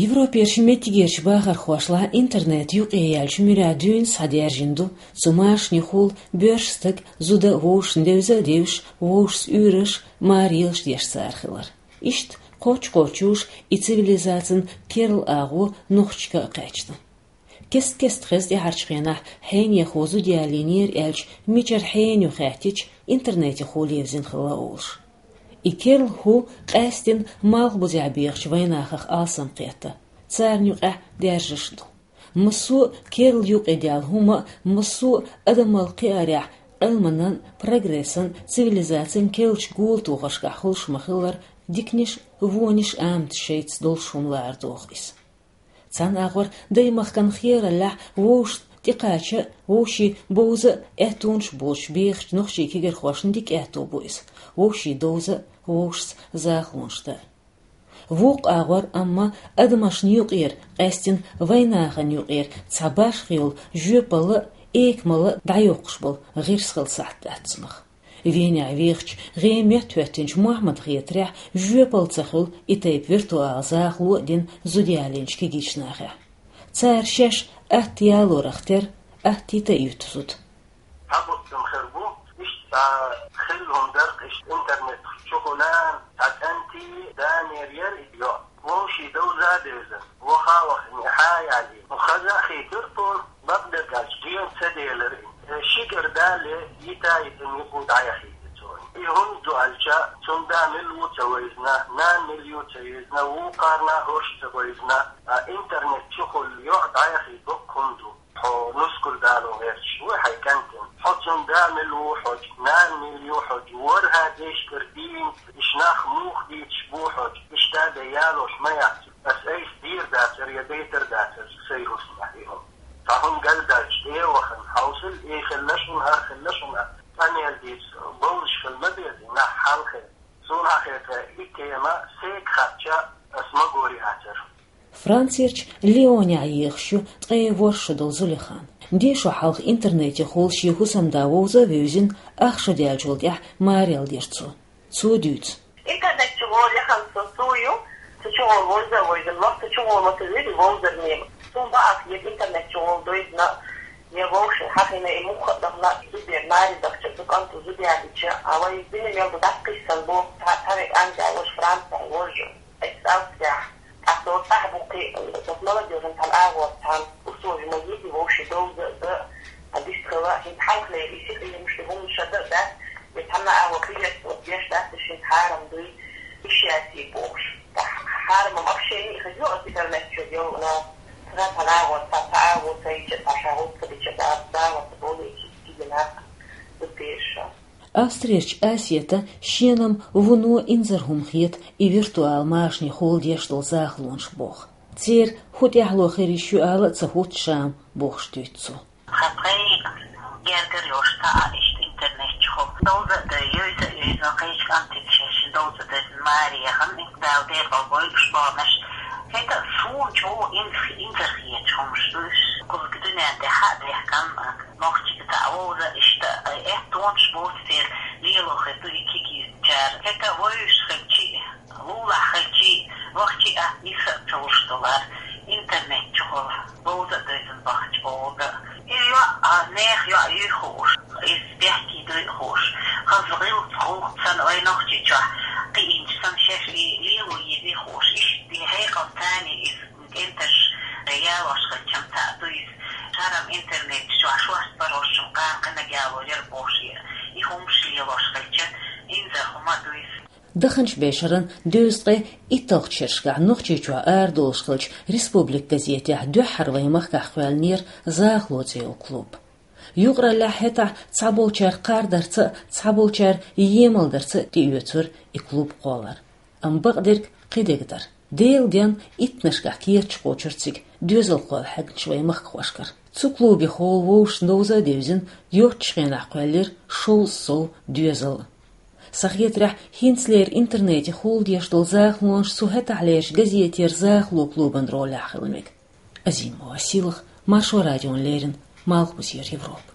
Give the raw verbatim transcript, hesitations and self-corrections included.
Европерчу меттигерчу бахархошлахь интернет юкъе яьллачу муьрехь дуьйна схьадаьржина ду, цу машанехула боьрша стаг, зуда вовшашна девза а девзаш, вовшашца уьйраш, мараллаш деш цара хилар. Иштта кхоччуш-кхоччуш и цивилизацин керла агӀо нохчашка а кхаьчна. Кест-кеста хеза тӀаьхьарчу хенахь хьенехо зуда ялийнера аьлча, мичара хьенех ю хаьттича, интернетехула евзина хилла олуш. И керла хӀу къаьсттина малхбузехь бехачу вайнахах алсам кхетта, царна юкъехь даьржаш а ду. Массо а керла юкъе даьлла хӀума а, массо а адамалла кхиарехь, Ӏилманан, прогрессан, цивилизацин керлачу гултухаршкахь хуьлуш ма-хиллара, диканиш а, вониш а, аматаш шайца долуш хӀума лара доху иза. Цхьана агӀор даймахкан хераллехь вовшашна тӀекхача а, вовшийн бовза а аьттонаш боцуш бехачу нохчийн кегийрхошна дика аьтто бу иза, вовшийн довза а, вовшашца захалонаш дан а. Вукху агӀор, амма адамашна юкъера, къаьсттина вайнахана юкъера цхьа башха йолу жоьпалла а, экамалла а дӀайоккхуш болу гӀирс хилла сахьт дац цунах. Венехь вехачу гӀеметтахӀоьттинчу Мохьмада хетарехь, жоьпалла ца хуьлу и тайпа виртуал захало а дина зуда ялийнчу кегийчу нахехь. Цара шаьш атта ялорах терра, атта йита а юьту зуда. Цхьа буттам хир бу, иштта цхьа хилла хӀума дара-кх, иштта интернет чухула цхьа кӀентий, данера яра и йоӀ. Вовшийн довза а девзина, ваха а вахана, и хьа а ялийна, хаза а хийтира тхуна, бакъдерг аьлча, гена ца делира и. Ши гергарле йита а йитина юкъа дӀаяхийтира цо и. И хӀунда ду аьлча, цуьнан да мила ву ца вевзина, нана мила ю ца вевзина, вукхарна а хӀорш ца вевзина, а интернет чухула йоӀ дӀаяхийта бакъ хӀума ду. Хьо нускал дало гӀерташ вуй хьайн кӀентана. Хьо цуьнан да мила ву хьожа, нана мила ю хьожа, ворхӀе дешкара дийна, иштта нах муха дийцаш бу хьожа, иштта бен ялош ма яц. Ас айса дийр дацара я дайтар дацара сайн хӀусамехь и хӀума. Цхьа хӀума галдаьлча, тӀе а вахана, хьовсал, и хилла шуна, хӀара хилла шуна, къамел дийца бовзаш хила ма беза нах хьалхе. Суна хетарехь, и тема сайга хаьттича, ас магор яцара. Францерчу Лионехь ехаш ю ткъе ворхӀ шо долу Зулихан. Дешо хьалха интернетехула шен хӀусамда вовза а вевзина, ах шо даьллачул тӀаьхьа маралла дира цо. Цо дуьйцу. Интернет чухула яхана со цо ю, цу чухула вовза а вевзина, ваха цу чухула ма ца вуьйцу вовзар мема. Суна бакъ хета интернет чухула девзина, я вовшийн хьахийна, и муха а дахана, зудера маре дахча, цу кӀанто зуда ялийча, а вай дина мел ду дӀакхийссан бу, цхьа, цхьа век Англия волуш, Франция волуш. Эс Австрияхь, тӀаккха цо цӀахь бу кхин, вот молодёжан цхьана агӀор цхьана условия ма йита вовшийн довза а дан, а дистхила, хӀинца хьалхалера и сиха емаш ду хӀуманаш дан а дац, вай цхьана агӀор приветствовать деш дац, уьш хӀинца хьарам дуй, уьш яций бохуш. Ткъа хьарам общение а хеза ю оцу интернет чуьра йолу, но цхьана цхьана агӀор цхьа, цхьа агӀо ца йича, цхьа ша гӀуллакх ца дича, да, да, вот болу и киги нах ду теша. Австрерчу Асета шена-м вуно инзаре хӀума хета и виртуал машанехула деш долу захалонаш боху. Церан хӀун тӀаьхьало хир йиш ю ала а ца хӀутту ша-м, бохуш дуьйцу цо. Хан пхьегӀа гергара йолуш цхьа а иштта интернет чухула довза а дой, йовза а йовза, кхечу кӀантига шаьш довза а девзина маре яхана, Дала декъал бойла уьш баханарш. ХӀета суна чӀогӀа инза-, инзаре хеташ хӀумаш ду уьш. Кхуза дуьнен тӀехь а дехкан, нохчий цхьа а вовза, иштта а, аьттонаш боцу церан лело хир ду и кегийчара. ХӀета вевзаш хилча а, лулахь хилча а, вахча а, иса а ца луш долу интернет чухула вовза а девзина бахча бовза а. И йоӀ а, нехан йоӀ юй хууш, иза бехке дуй а хууш, хаза гӀиллакх гӀуллакх санна вай Нохчийчохь кхиънча санна шаьш и лело езий хууш, иштта и хьекъал царна иза кӀенташ ялош хилча-м цхьаъ ду иза, хьарам интернет чохь шорта паргӀатчун кхана кхинаг яло яра бохуш, и хӀумаш лелош хилча, инзаре хӀума а ду иза. Даханчу бешаран дезткъе итталгӀачу шерашкахь Нохчийчохь арадолуш хиллачу «Республика» газетехь дуьххьара вайн махкахь кхоьллинера «Захало» цӀе йолу клуб. Юкъараллехь хӀетахь цхьаболчара кхардарца а, цхьаболчара емалдарца а тӀеоьцура и клуб кхоллар. Амма бакъдерг кхидерг дара. Делан денна иттанашкахь керташ кхочура цига доьзалхой хьегначу вайн махкахошкара. Цу клубехула вовшашна довза а девзина, йоцчу хенахь кхоьллира шовзткъа сов доьзал. Сан хетарехь, хӀинцалера интернетехула деш долу захалонаш цу хӀетахьлерчу газетера «Захало» клубан ролехь хила мега. Азимова Силах, Маршо радиона леррина, Малхбузера Европа.